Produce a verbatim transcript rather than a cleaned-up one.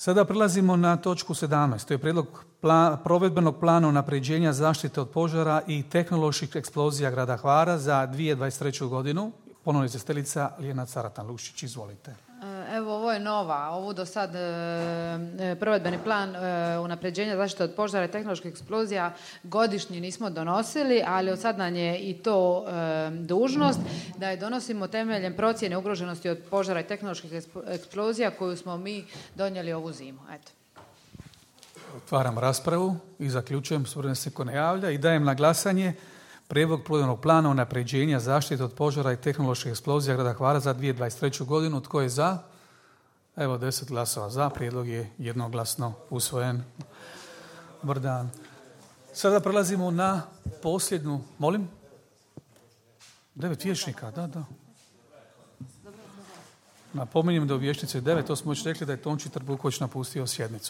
Sada prelazimo na točku sedamnaest. To je prijedlog plan, provedbenog plana unapređenja zaštite od požara i tehnoloških eksplozija grada Hvara za dvije tisuće dvadeset treću godinu. Ponovno izvjestiteljica Lijena Caratan-Lušić. Izvolite. Evo, ovo je nova. Ovo do sad e, provedbeni plan e, unapređenja zaštite od požara i tehnoloških eksplozija godišnji nismo donosili, ali od sad nam je i to e, dužnost da je donosimo temeljem procjene ugroženosti od požara i tehnoloških eksplozija koju smo mi donijeli ovu zimu. Eto. Otvaram raspravu i zaključujem, suvremeno se ko ne javlja, i dajem na glasanje prijedlog provedbenog plana unapređenja zaštite od požara i tehnoloških eksplozija grada Hvara za dvije tisuće dvadeset treću godinu. Tko je za? Evo, deset glasova za. Prijedlog je jednoglasno usvojen. Dobar dan. Sada prelazimo na posljednju... Molim? Devet vječnika, da, da. Napominjem da u vječnici je devet, to smo već rekli da je Tonči Trbuković napustio sjednicu.